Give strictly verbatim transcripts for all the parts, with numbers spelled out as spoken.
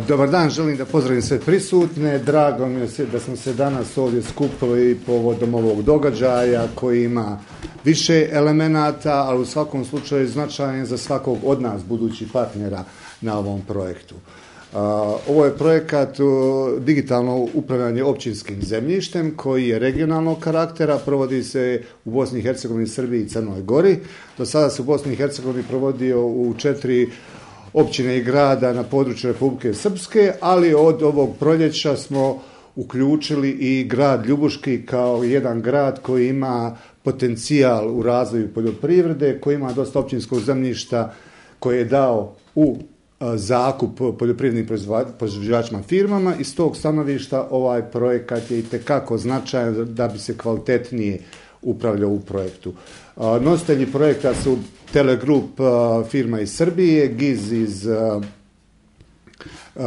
Dobar dan, želim da pozdravim sve prisutne. Drago mi je da smo se danas ovdje skupili povodom ovog događaja koji ima više elemenata, ali u svakom slučaju značajan za svakog od nas budućih partnera na ovom projektu. Ovo je projekat digitalno upravljanje općinskim zemljištem koji je regionalnog karaktera, provodi se u Bosni i Hercegovini, Srbiji i Crnoj Gori. Do sada se u Bosni i Hercegovini provodio u četiri općine i grada na području Republike Srpske, ali od ovog proljeća smo uključili i grad Ljubuški kao jedan grad koji ima potencijal u razvoju poljoprivrede, koji ima dosta općinskog zemljišta koje je dao u zakup poljoprivrednim proizvođačima firmama. Iz tog stanovišta ovaj projekat je itekako značajan da bi se kvalitetnije upravljao u projektu. Nositelji projekta su Telegrup firma iz Srbije, GIZ iz uh, uh,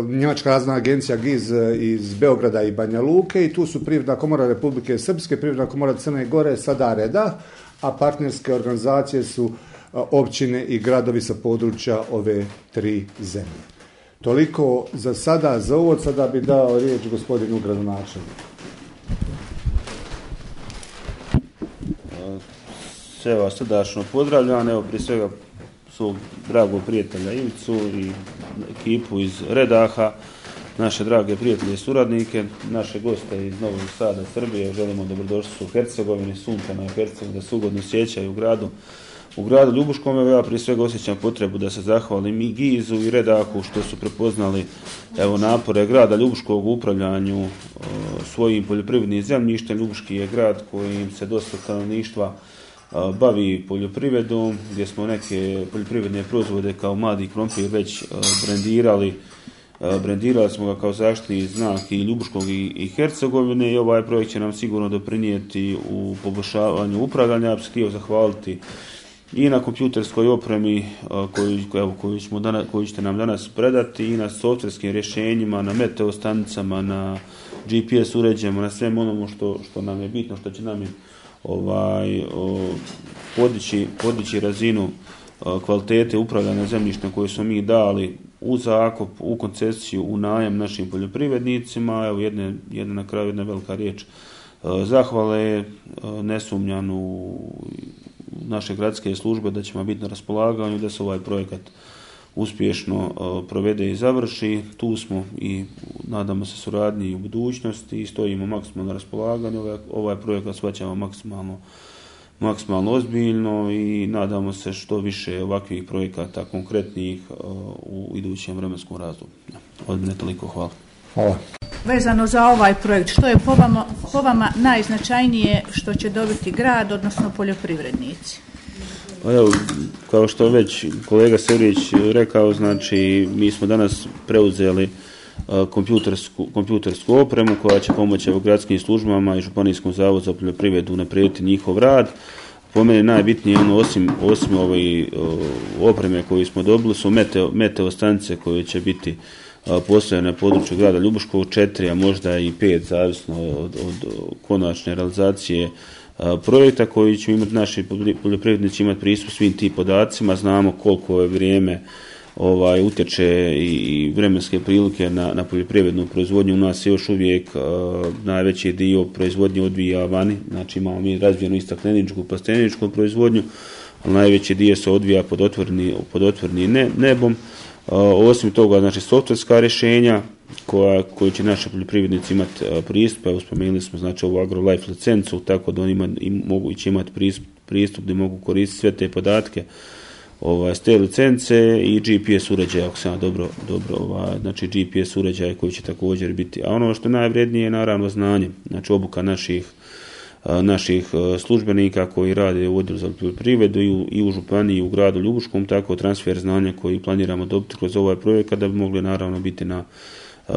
Njemačka razvojna agencija GIZ iz Beograda i Banja Luke i tu su Privredna komora Republike Srpske, Privredna komora Crne Gore, sada Reda, a partnerske organizacije su uh, općine i gradovi sa područja ove tri zemlje. Toliko za sada, za uvod. Sada bi dao riječ gospodinu gradonačelniku. Sve vas srdačno pozdravljam, evo prije svega svog dragog prijatelja Ivicu i ekipu iz Redaha, naše drage prijatelje i suradnike, naše goste iz Novog Sada, Srbije, želimo dobrodošli u Hercegovini, sunčanoj Hercegovini, da se ugodno sjećaju u gradu. U gradu Ljubuškom, evo ja prije svega osjećam potrebu da se zahvalim i GIZ-u i Redahu što su prepoznali evo napore grada Ljubuškog u upravljanju o, svojim poljoprivrednim zemljištem. Ljubuški je grad kojim se dosta stanovništva bavi poljoprivredom, gdje smo neke poljoprivredne proizvode kao mladi krompir već brendirali. Brendirali smo ga kao zaštitni znak i Ljubuškog i, i Hercegovine i ovaj projekt će nam sigurno doprinijeti u poboljšavanju upravljanja. Ja bih se htio zahvaliti i na kompjuterskoj opremi koju, evo, koju, ćemo danas, koju ćete nam danas predati i na softverskim rješenjima, na meteo stanicama, na G P S uređajima, na svem onomu što, što nam je bitno, što će nam je ovaj o, podići, podići razinu o, kvalitete upravljanja zemljištem koje smo mi dali u zakup, u koncesiju, u najam našim poljoprivrednicima. Evo jedne, jedna na kraju jedna velika riječ o, zahvale, o, ne sumnjam u naše gradske službe da ćemo biti na raspolaganju, da se ovaj projekat uspješno o, provede i završi. Tu smo i nadamo se suradnji u budućnosti i stojimo maksimalno na raspolaganju. Ovaj, ovaj projekat shvaćamo maksimalno, maksimalno ozbiljno i nadamo se što više ovakvih projekata konkretnih o, u idućem vremenskom razdoblju. Od mene toliko, hvala. Hvala. Vezano za ovaj projekt, što je po vama, po vama najznačajnije što će dobiti grad, odnosno poljoprivrednici? Pa evo, kao što već kolega Sevrić rekao, znači mi smo danas preuzeli uh, kompjutersku, kompjutersku opremu koja će pomoći u gradskim službama i Županijskom zavodu za poljoprivredu unaprijediti njihov rad. Po meni najbitnije ono, osim, osim ove uh, opreme koju smo dobili su meteo, meteo stanice koje će biti uh, postavljene na području grada Ljubuškog, četiri, a možda i pet, zavisno od, od konačne realizacije projekta koji će imati naši poljoprivrednici imati pristup svim tim podacima. Znamo koliko je vrijeme ovaj, utječe i vremenske prilike na, na poljoprivrednu proizvodnju. U nas je još uvijek uh, najveći dio proizvodnje odvija vani, znači imamo mi razvijenu i stakleničku, plasteničku proizvodnju, ali najveći dio se odvija pod otvoreni, pod otvoreni ne, nebom. Uh, osim toga, znači softverska rješenja koja, koji će naši poljoprivrednici imati uh, pristup, evo spomenuli smo znači ovu AgroLife licencu, tako da oni ima, im, mogu će imati pristup, pristup da mogu koristiti sve te podatke ovaj, s te licence i G P S uređaje, ako sam dobro, dobro ovaj, znači G P S uređaje koji će također biti. A ono što je najvrednije je naravno znanje, znači obuka naših naših službenika koji rade u odjelu za poljoprivredu i u, i u županiji i u gradu Ljubuškom, tako transfer znanja koji planiramo dobiti kroz ovaj projekat da bi mogli naravno biti na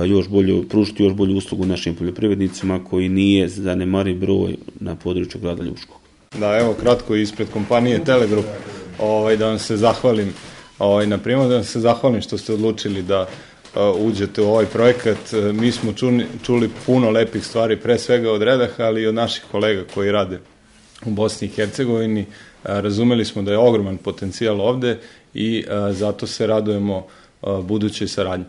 još bolju, pružiti još bolju uslugu našim poljoprivrednicima koji nije zanemariv broj na području grada Ljubuškog. Da, evo kratko ispred kompanije Telegrup ovaj, da vam se zahvalim ovaj, na primjer, da vam se zahvalim što ste odlučili da Uh, uđete u ovaj projekat. Uh, mi smo čuli, čuli puno lepih stvari, pre svega od Redaha, ali i od naših kolega koji rade u Bosni i Hercegovini. Uh, razumeli smo da je ogroman potencijal ovde i uh, zato se radujemo budućoj saradnji.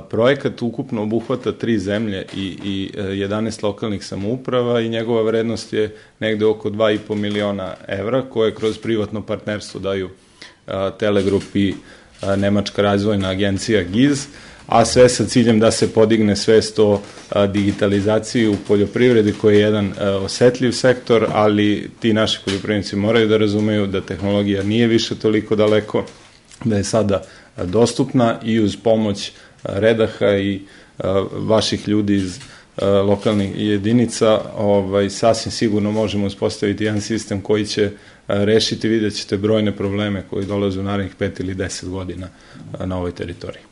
Projekat ukupno obuhvata tri zemlje i, i jedanaest lokalnih samouprava i njegova vrednost je negde oko dva i po miliona evra koje kroz privatno partnerstvo daju Telegrup i Nemačka razvojna agencija G I Z, a sve sa ciljem da se podigne svest o digitalizaciji u poljoprivredi koji je jedan osetljiv sektor, ali ti naši poljoprivrednici moraju da razumeju da tehnologija nije više toliko daleko, da je sada dostupna i uz pomoć Redaha i vaših ljudi iz lokalnih jedinica ovaj, sasvim sigurno možemo uspostaviti jedan sistem koji će rešiti, vidjet ćete brojne probleme koji dolaze u narednih pet ili deset godina na ovoj teritoriji.